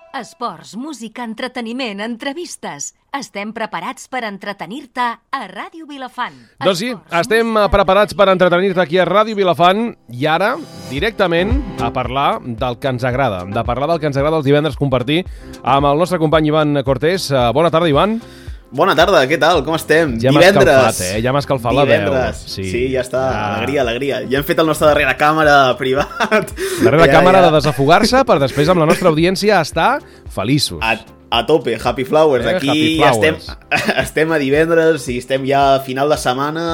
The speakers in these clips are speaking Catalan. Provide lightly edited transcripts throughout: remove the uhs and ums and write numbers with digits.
Esports, música, entreteniment, entrevistes. Estem preparats per entretenir-te a Ràdio Vilafant. Doncs sí, estem preparats per entretenir-te aquí a Ràdio Vilafant i ara, directament, a parlar del que ens agrada. De parlar del que ens agrada els divendres compartir amb el nostre company Ivan Cortés. Bona tarda, Ivan. Bona tarda, què tal? Com estem? Ja m'ha escalfat, Ja m'ha escalfat la veu. Sí, ja està. Alegria, alegria. Ja hem fet el nostre darrere càmera privat. Darrere càmera de desafogar-se per després amb la nostra audiència estar feliços. A tope, Happy Flowers. Aquí Happy Flowers. estem a divendres i estem ja a final de setmana.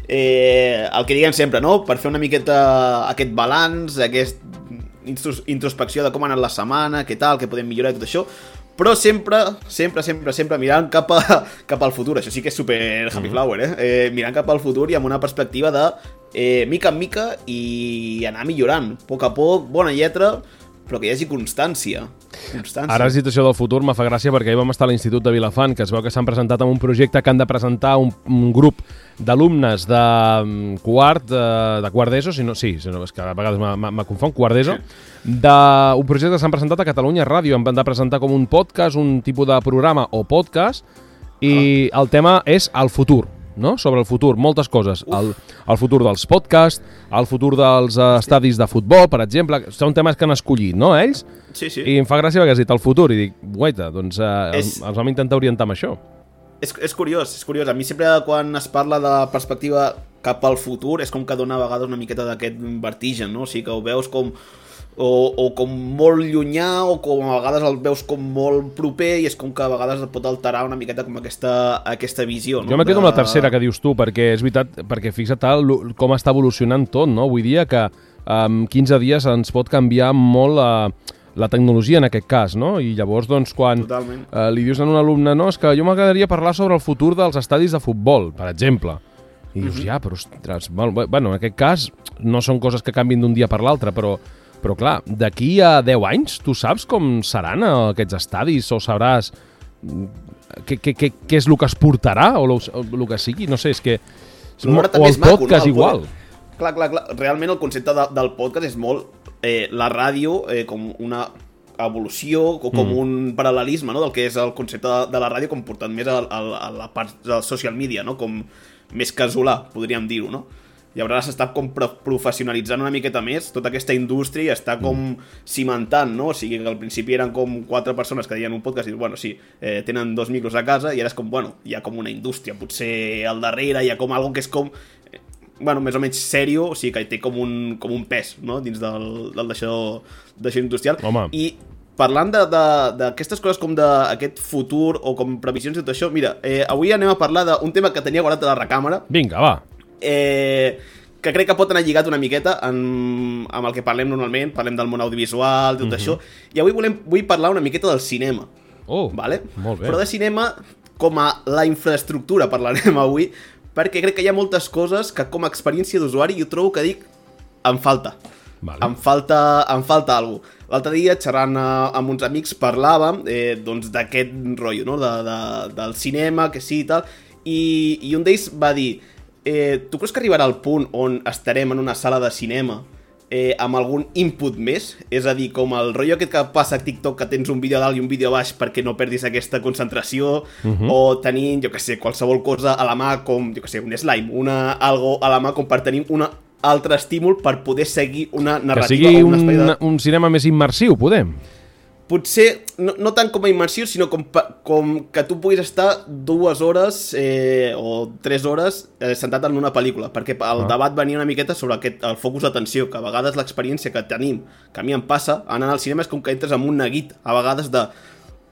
El que diguem sempre, no? Per fer una miqueta aquest balanç, aquesta introspecció de com ha anat la setmana, què tal, què podem millorar i tot això. Però sempre mirant cap al futur. Això sí que és super Happy Flower, mirant cap al futur i amb una perspectiva de mica en mica i anar millorant. A poc, bona lletra, però que hi hagi constància. Ara la situació del futur me fa gràcia perquè ahir vam estar a l'Institut de Vilafant, que es veu que s'han presentat amb un projecte que han de presentar un grup d'alumnes de quart d'ESO, és que a vegades me confon, quart d'ESO, d'un projecte que s'han presentat a Catalunya Ràdio. Han de presentar com un podcast, un tipus de programa o podcast, i el tema és el futur, no? Sobre el futur, moltes coses. El futur dels podcasts, el futur dels estadis de futbol, per exemple. Són temes que han escollit, no, ells? Sí. I em fa gràcia perquè has dit el futur i dic, guaita, doncs els vam intentar orientar amb això. És curiós. A mi sempre quan es parla de perspectiva cap al futur és com que dona a vegades una miqueta d'aquest vertigen, no? O sigui que ho veus com o com molt llunyà o com a vegades el veus com molt proper i és com que a vegades et pot alterar una miqueta com aquesta visió, no? Jo me quedo amb la tercera que dius tu, perquè és veritat, perquè fixa't com està evolucionant tot, no? Avui dia que en 15 dies ens pot canviar molt la tecnologia en aquest cas, no? I llavors, doncs, quan li dius a un alumne, no, és que jo m'agradaria parlar sobre el futur dels estadis de futbol, per exemple. I dius, però ostres, bueno, en aquest cas no són coses que canvin d'un dia per l'altre, però clar, d'aquí a 10 anys tu saps com seran aquests estadis o sabràs què és el que es portarà o el que sigui, no sé, és que o el podcast igual. Clar, realment el concepte del podcast és molt la ràdio com una evolució o com un paral·lelisme, no? Del que és el concepte de la ràdio com portant més a la part del social media, no? Com més casolà, podríem dir-ho, no? Llavors s'està com professionalitzant una miqueta més tota aquesta indústria i està com cimentant, no? O sigui que al principi eren com 4 persones que deien un podcast i bueno, sí, tenen 2 micros a casa i ara és com, bueno, hi ha com una indústria, potser al darrere hi ha com algo que és com, bueno, més o menys sèrio, o sigui que té com un pes, no? Dins d'això industrial. Home. I parlant d'aquestes coses com d'aquest futur o com previsions i tot això, mira, avui anem a parlar d'un tema que tenia guardat a la recàmera. Vinga, va. Que crec que pot anar lligat una miqueta amb el que parlem normalment, parlem del món audiovisual, tot això, i avui vull parlar una miqueta del cinema. Vale? Molt bé. Però de cinema com a la infraestructura parlarem avui, perquè crec que hi ha moltes coses que com a experiència d'usuari jo trobo que dic, em falta. Vale. Em falta alguna cosa. L'altre dia, xerrant amb uns amics, parlàvem doncs d'aquest rotllo, no? Del cinema, que sí i tal, i un d'ells va dir tu creus que arribarà al punt on estarem en una sala de cinema amb algun input més? És a dir, com el rotllo aquest que passa a TikTok, que tens un vídeo a dalt i un vídeo a baix perquè no perdis aquesta concentració, o tenint, jo que sé, qualsevol cosa a la mà, com, jo que sé, un slime, algo a la mà com per tenir un altre estímul per poder seguir una narrativa. Que sigui un cinema més immersiu, podem? Potser, no tant com a immersió, sinó com que tu puguis estar 2 hores o 3 hores sentat en una pel·lícula, perquè el debat venia una miqueta sobre el focus d'atenció, que a vegades l'experiència que tenim, que a mi em passa, anant al cinema és com que entres en un neguit, a vegades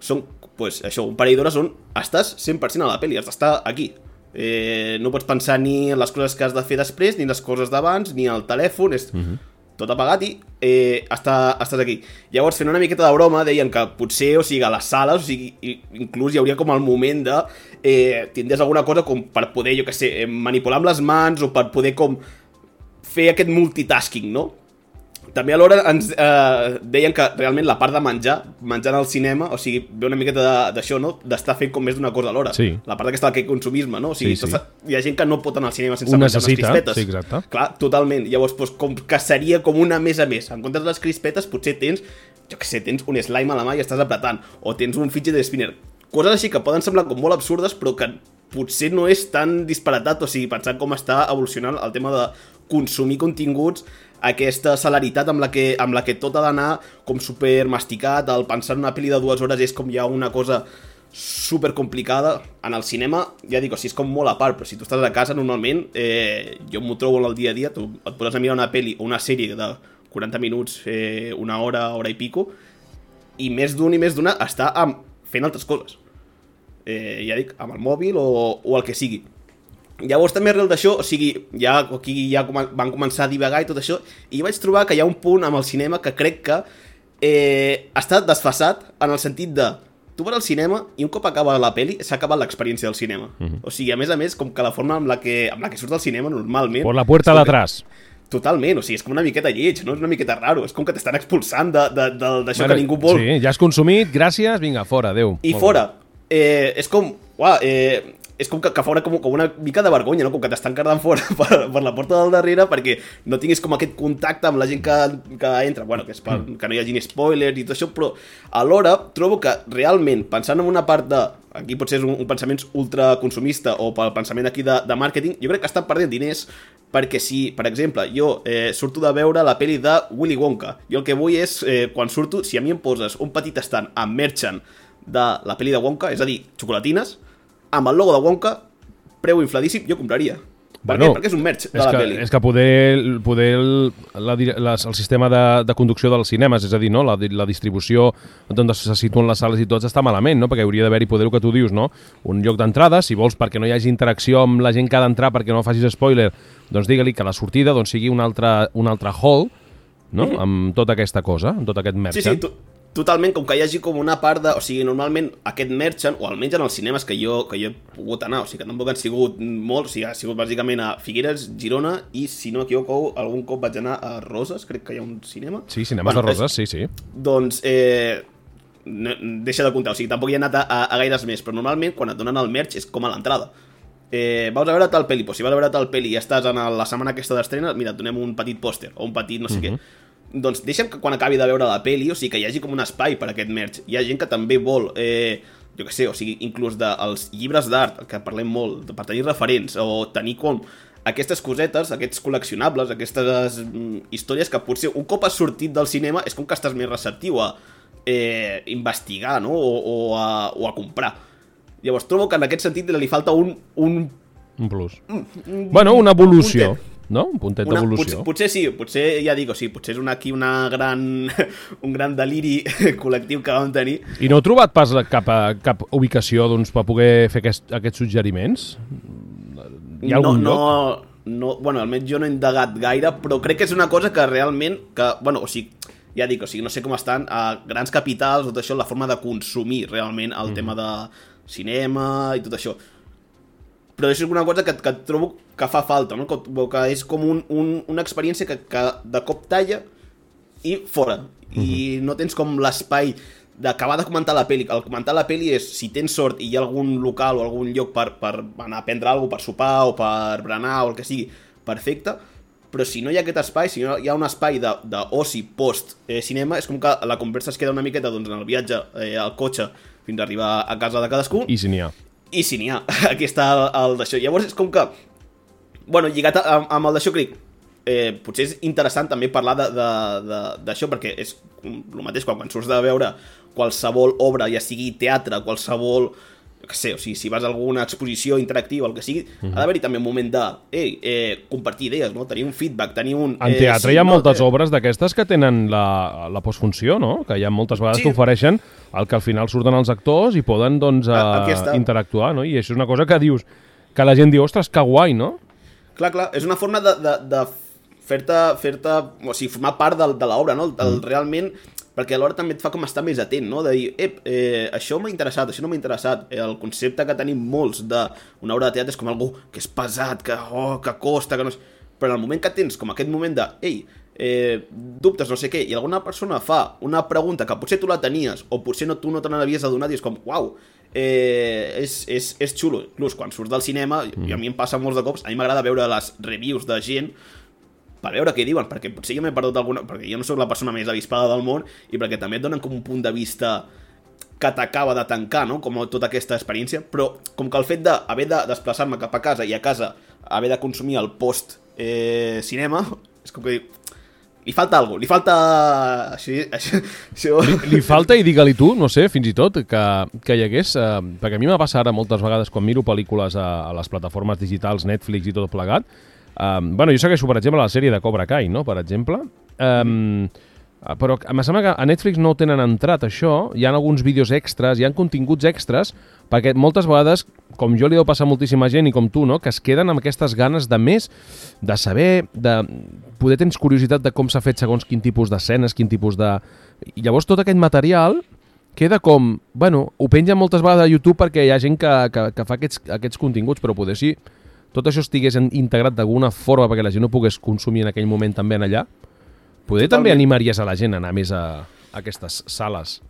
són, pues, això, un parell d'hores on estàs 100% a la pel·li, has d'estar aquí. No pots pensar ni en les coses que has de fer després, ni en les coses d'abans, ni al telèfon, és tot apagat i estàs aquí. Llavors, fent una miqueta de broma, deien que potser, o sigui, a les sales, o sigui, inclús hi hauria com el moment de tindries alguna cosa com per poder, jo que sé, manipular amb les mans o per poder com fer aquest multitasking, no? També alhora ens deien que realment la part de menjant al cinema, o sigui, ve una miqueta d'això, no? D'estar fent com més d'una cosa alhora. Sí. La part d'aquesta del consumisme, no? O sigui, Sí. hi ha gent que no pot anar al cinema sense Ho menjar unes necessita, crispetes. sí, exacte. Clar, totalment. Llavors, doncs, com que seria com una més a més. En comptes de les crispetes, potser tens, jo què sé, tens un slime a la mà i estàs apretant, o tens un fidget spinner. Coses així que poden semblar com molt absurdes, però que potser no és tan disparatat, o sigui, pensant com està evolucionant el tema de consumir continguts, aquesta celeritat amb la que tot ha d'anar com super masticat, el pensar en una pel·li de 2 hores és com ja una cosa super complicada. En el cinema, ja dic, o sigui, és com molt a part, però si tu estàs a casa normalment, jo m'ho trobo en el dia a dia, tu et poses a mirar una pel·li o una sèrie de 40 minuts, una hora i pico, i més d'un i més d'una està fent altres coses. Ja dic, amb el mòbil o el que sigui. Llavors també arrel d'això, o sigui, aquí van començar a divagar i tot això, i vaig trobar que hi ha un punt amb el cinema que crec que està desfasat en el sentit de tu vas al cinema i un cop acaba la peli s'ha acabat l'experiència del cinema. O sigui, a més, com que la forma amb la que surts del cinema normalment... Por la puerta d'atrás. Totalment, o sigui, és com una miqueta lleig, no? És una miqueta raro, és com que t'estan expulsant d'això que ningú vol. Sí, ja has consumit, gràcies, vinga, fora, adeu. I fora. És com... és com que fora com una mica de vergonya, no? Com que t'estan cardant fora per la porta del darrere perquè no tinguis com aquest contacte amb la gent que entra, bueno, que és que no hi hagi spoilers i tot això, però alhora trobo que realment, pensant en una part de... Aquí potser és un pensament ultraconsumista o pel pensament aquí de màrqueting, jo crec que estan perdent diners perquè si, per exemple, jo surto de veure la pel·li de Willy Wonka, jo el que vull és, quan surto, si a mi em poses un petit estant amb merchant de la pel·li de Wonka, és a dir, xocolatines, amb el logo de Wonka, preu infladíssim, jo compraria. Per què? Perquè és un merch de la pel·li. És que poder el sistema de conducció dels cinemes, és a dir, no? La distribució on se situen les sales i tots està malament, no? Perquè hauria d'haver-hi poder, el que tu dius, no? Un lloc d'entrada, si vols, perquè no hi hagi interacció amb la gent que ha d'entrar, perquè no facis spoiler, doncs digue-li que la sortida sigui un altre hall, no? Amb tota aquesta cosa, amb tot aquest merchant. Sí, totalment, com que hi hagi com una part de... O sigui, normalment aquest merchant, o almenys en els cinemes que jo he pogut anar, o sigui, que tampoc han sigut molts, o sigui, ha sigut bàsicament a Figueres, Girona, i si no m'equivoco, algun cop vaig anar a Roses, crec que hi ha un cinema. Sí, cinemes de Roses, sí. Doncs, deixa de comptar, o sigui, tampoc hi he anat a gaires més, però normalment quan et donen el merch és com a l'entrada. Vas a veure tal pel·li, doncs si vas a veure tal pel·li i estàs en la setmana aquesta d'estrena, mira, et donem un petit pòster, o un petit no sé què. Doncs deixa'm que quan acabi de veure la peli, o sigui, que hi hagi com un espai per a aquest merch. Hi ha gent que també vol, jo què sé, o sigui, inclús dels llibres d'art, que parlem molt, per tenir referents, o tenir com aquestes cosetes, aquests col·leccionables, aquestes històries que potser un cop has sortit del cinema és com que estàs més receptiu a investigar, no? O a comprar. Llavors trobo que en aquest sentit li falta un plus. Bueno, una evolució. No? Un puntet d'evolució. Potser sí, potser ja dic, o sigui, potser és un gran deliri col·lectiu que vam tenir. I no heu trobat pas cap ubicació doncs, per poder fer aquests suggeriments? Hi ha algun lloc? No, bueno, almenys jo no he indagat gaire, però crec que és una cosa que realment, o sigui, ja dic, o sigui, no sé com estan a grans capitals, tot això, la forma de consumir realment el tema de cinema i tot això. Però és una cosa que trobo que fa falta, no? Que és com una experiència que de cop talla i fora. I no tens com l'espai d'acabar de comentar la pel·li. El comentar la pel·li és, si tens sort i hi ha algun local o algun lloc per anar a prendre alguna cosa, per sopar o per berenar o el que sigui, perfecte. Però si no hi ha aquest espai, si no hi ha un espai d'oci post-cinema, és com que la conversa es queda una miqueta en el viatge al cotxe fins a arribar a casa de cadascú. I si n'hi ha. I si n'hi ha, aquí està el d'això. Llavors és com que, bueno, lligat amb el d'això, crec, potser és interessant també parlar d'això, perquè és el mateix quan surts de veure qualsevol obra, ja sigui teatre, qualsevol, que sé, o sigui, si vas a alguna exposició interactiva, el que sigui, ha d'haver-hi també un moment de compartir idees, no? Tenir un feedback, tenir un... En teatre hi ha moltes obres d'aquestes que tenen la postfunció, no? Que hi ha moltes vegades que ofereixen el que al final surten els actors i poden, doncs, interactuar, no? I això és una cosa que dius, que la gent diu, ostres, que guai, no? Clar, és una forma de fer-te, o sigui, formar part de l'obra, no? Realment, perquè alhora també et fa com estar més atent, no? De dir, això m'ha interessat, això no m'ha interessat. El concepte que tenim molts d'una obra de teatre és com algú que és pesat, que costa, que no és... Però en el moment que tens com aquest moment de, dubtes, no sé què, i alguna persona fa una pregunta que potser tu la tenies o potser tu no te n'havies adonat i és com, uau, és xulo. Inclús quan surts del cinema, i a mi em passa molts de cops, a mi m'agrada veure les reviews de gent per veure què diuen, perquè potser jo m'he perdut alguna, perquè jo no sóc la persona més avispada del món i perquè també et donen com un punt de vista que t'acaba de tancar, no? Com tota aquesta experiència, però com que el fet d'haver de desplaçar-me cap a casa i a casa haver de consumir el post-cinema, és com que li falta alguna cosa, li falta... Això... Li falta, i digue-li tu, no sé, fins i tot, que hi hagués... perquè a mi m'ha passat ara moltes vegades quan miro pel·lícules a les plataformes digitals, Netflix i tot plegat. Bueno, jo segueixo, per exemple, la sèrie de Cobra Kai, no?, per exemple. Però em sembla que a Netflix no ho tenen entrat, això. Hi ha alguns vídeos extras, hi ha continguts extras, perquè moltes vegades, com jo li deu passar a moltíssima gent i com tu, no?, que es queden amb aquestes ganes de més, de saber, de poder tens curiositat de com s'ha fet segons quin tipus d'escenes, quin tipus de... I llavors tot aquest material queda com... Bueno, ho penja moltes vegades a YouTube perquè hi ha gent que fa aquests continguts, però poder si tot això estigués integrat d'alguna forma perquè la gent ho pogués consumir en aquell moment també en allà, poder també animaries a la gent a anar més a aquestes sales.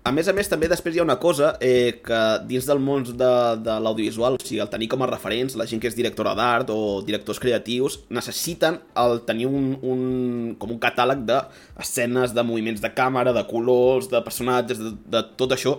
A més, també després hi ha una cosa que dins del món de l'audiovisual, o sigui, el tenir com a referents, la gent que és directora d'art o directors creatius, necessiten el tenir com un catàleg d'escenes, de moviments de càmera, de colors, de personatges, de tot això,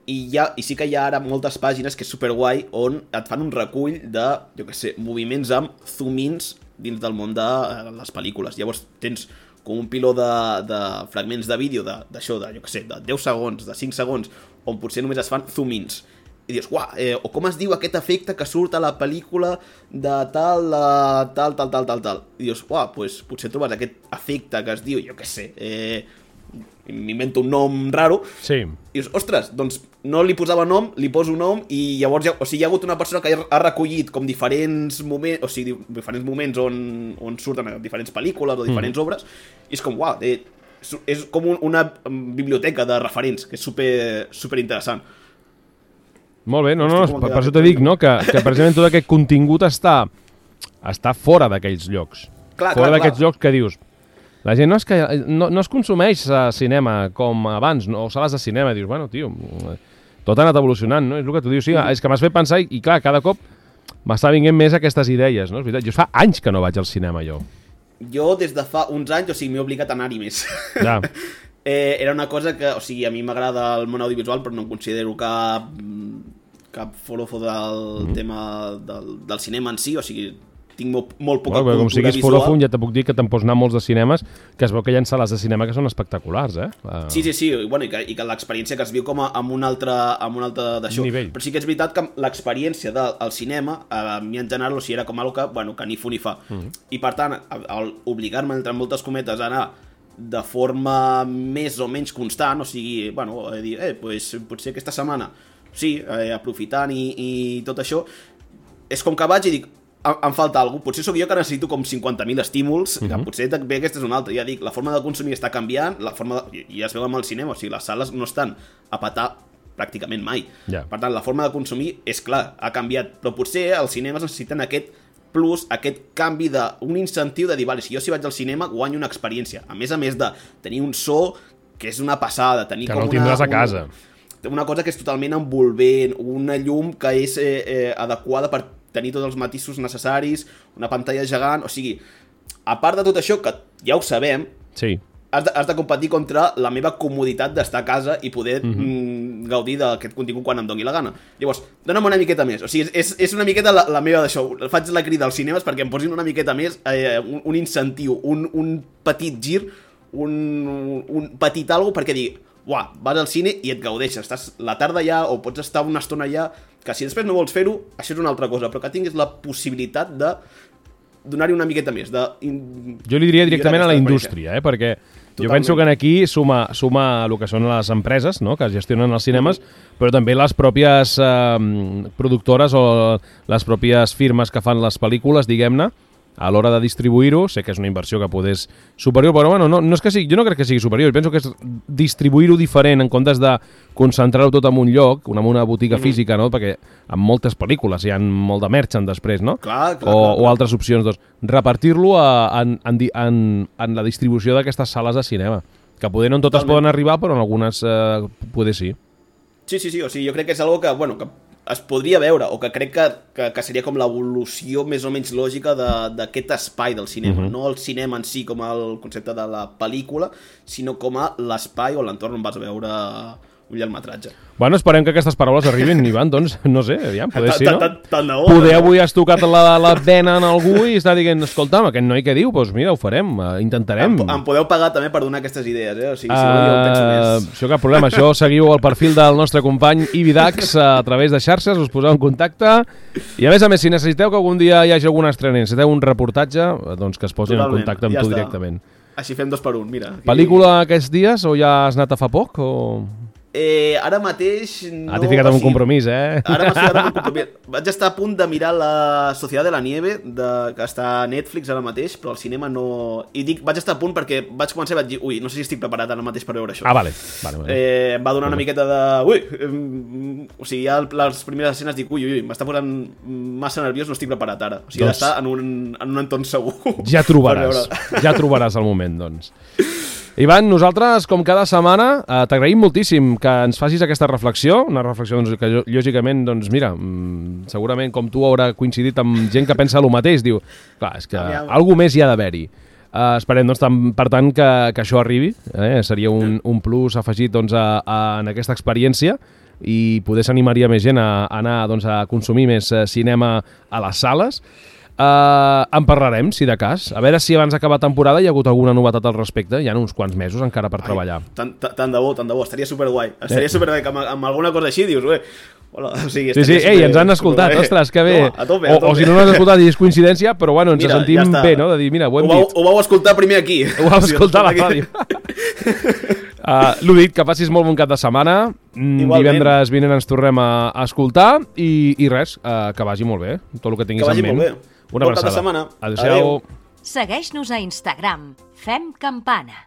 i sí que hi ha ara moltes pàgines que és superguai on et fan un recull de, jo què sé, moviments amb zoom-ins dins del món de les pel·lícules. Llavors tens com un piló de fragments de vídeo d'això, jo què sé, de 10 segons, de 5 segons, on potser només es fan zoom-ins. I dius, uah, o com es diu aquest efecte que surt a la pel·lícula de tal. I dius, uah, doncs potser trobes aquest efecte que es diu, jo què sé, m'invento un nom raro, sí. I dius, ostres, doncs no li posava nom, li poso nom, i llavors hi ha hagut una persona que ha recollit com diferents moments, o sigui, diferents moments on surten diferents pel·lícules o diferents obres, i és com, uau, és com una biblioteca de referents, que és super interessant. Molt bé, no, per això t'he dit, no?, que precisament tot aquest contingut està fora d'aquells llocs. Fora d'aquests llocs que dius... La gent no es consumeix cinema com abans, o sales de cinema. Dius, bueno, tio, tot ha anat evolucionant, no? És el que tu dius. Sí, és que m'has fet pensar i clar, cada cop m'està vinguent més aquestes idees, no? És veritat, jo fa anys que no vaig al cinema, jo. Jo des de fa uns anys, o sigui, m'he obligat a anar-hi més. Ja. Era una cosa que, o sigui, a mi m'agrada el món audiovisual, però no em considero cap forofo del tema del cinema en si, o sigui... tinc molt poca cultura com siguis visual. foròfon, ja te puc dir que te'n pots anar a molts de cinemes, que es veu que hi ha sales de cinema que són espectaculars, eh? Sí, bueno, i que l'experiència que es viu com amb un altre d'això. Nivell. Però sí que és veritat que l'experiència del cinema, a mi en general, o sigui, era com algo que, bueno, que ni fu ni fa. I per tant, al obligar-me, entre moltes cometes, a anar de forma més o menys constant, o sigui, bueno, dir, pues, potser aquesta setmana, sí, aprofitant i tot això, és com que vaig i dic, em falta alguna cosa. Potser sóc jo que necessito com 50.000 estímuls, que potser també aquesta és una altra. Ja dic, la forma de consumir està canviant, i ja es veu amb el cinema, o sigui, les sales no estan a petar pràcticament mai. Yeah. Per tant, la forma de consumir, és clar, ha canviat, però potser els cinemes necessiten aquest plus, aquest canvi un incentiu de dir, vale, si jo vaig al cinema guanyo una experiència, a més de tenir un so que és una passada, tenir que com no el tindràs a casa. Una cosa que és totalment envolvent, una llum que és adequada per tenir tots els matisos necessaris, una pantalla gegant, o sigui, a part de tot això, que ja ho sabem, sí. has de competir contra la meva comoditat d'estar a casa i poder gaudir d'aquest contingut quan em doni la gana. Llavors, dona'm una miqueta més, o sigui, és una miqueta la meva d'això, faig la crida als cinemes perquè em posin una miqueta més, un incentiu, un petit gir, un petit algo perquè digui, uah, vas al cine i et gaudeixes, estàs la tarda allà o pots estar una estona allà, que si després no vols fer-ho, això és una altra cosa, però que tinguis la possibilitat de donar-hi una miqueta més. Jo li diria directament a la indústria, perquè jo penso que aquí suma el que són les empreses, no?, que gestionen els cinemes, però també les pròpies productores o les pròpies firmes que fan les pel·lícules, diguem-ne, a l'hora de distribuir-ho. Sé que és una inversió que podés superior, però bueno, no és que sigui, jo no crec que sigui superior, penso que és distribuir-ho diferent en comptes de concentrar-ho tot en un lloc, en una botiga física, no? Perquè en moltes pel·lícules hi ha molt de merchant després, no? Clar. O altres opcions, doncs, repartir-lo en la distribució d'aquestes sales de cinema, que poder no en totes poden arribar, però en algunes poder sí. Sí, o sigui, jo crec que és algo que, bueno, que es podria veure, o que crec que seria com l'evolució més o menys lògica d'aquest espai del cinema. No el cinema en si com el concepte de la pel·lícula, sinó com a l'espai o l'entorn on vas a veure un llargmetratge. Bueno, esperem que aquestes paraules arribin, Ivan, doncs, no sé, aviam, poder sí, no? Tant de bo. Poder avui has tocat la vena en algú i està dient, escolta'm, aquest noi què diu? Doncs mira, ho farem, intentarem. Em podeu pagar també per donar aquestes idees, O sigui, si no, jo penso més. Això cap problema, això seguiu el perfil del nostre company Ivi Dax a través de xarxes, us poseu en contacte, i a més, si necessiteu que algun dia hi hagi alguna estrena, necessiteu un reportatge, doncs que es posin en contacte amb tu directament. Així fem 2 per 1, mira. Pel·lícula aquests dies o ja has anat a fa poc, o...? Ara mateix... No, t'he ficat en un compromís, Ara m'he ficat en un compromís. Vaig estar a punt de mirar La Sociedad de la Nieve, que està a Netflix ara mateix, però al cinema no... I dic, vaig estar a punt perquè vaig començar i vaig dir, ui, no sé si estic preparat ara mateix per veure això. Vale. Em va donar una miqueta de... o sigui, ja les primeres escenes dic, ui, m'està posant massa nerviós, no estic preparat ara. O sigui, doncs... d'estar en un entorn segur. Ja trobaràs el moment, doncs. Ivan, nosaltres, com cada setmana, t'agraïm moltíssim que ens facis aquesta reflexió, una reflexió doncs, que lògicament, doncs mira, segurament com tu haurà coincidit amb gent que pensa el mateix, diu, clar, és que alguna més hi ha d'haver-hi. Esperem, doncs, per tant, que això arribi, seria un plus afegit doncs, en aquesta experiència i poder s'animaria més gent a anar doncs, a consumir més cinema a les sales. En parlarem, si de cas. A veure si abans d'acabar temporada hi ha hagut alguna novetat al respecte. Hi ha uns quants mesos encara per treballar. Tant de bo. Estaria superguai. Estaria superguai que amb alguna cosa així dius, hola, o sigui, sí, ens han escoltat, ostres, que bé. No, a tope. O si no has escoltat i és coincidència, però bueno, ens sentim bé, no? De dir, mira, ho hem dit. Ho vau escoltar primer aquí. Ho vau escoltar a la ràdio. L'ho dit, que facis molt bon cap de setmana. Divendres vinent ens tornem a escoltar i res, que vagi molt bé, tot el que tinguis en ment. Que vagi molt bé. Una abraçada. Bon cap de setmana. Adéu-siau. Segueix-nos a Instagram. Fem Campana.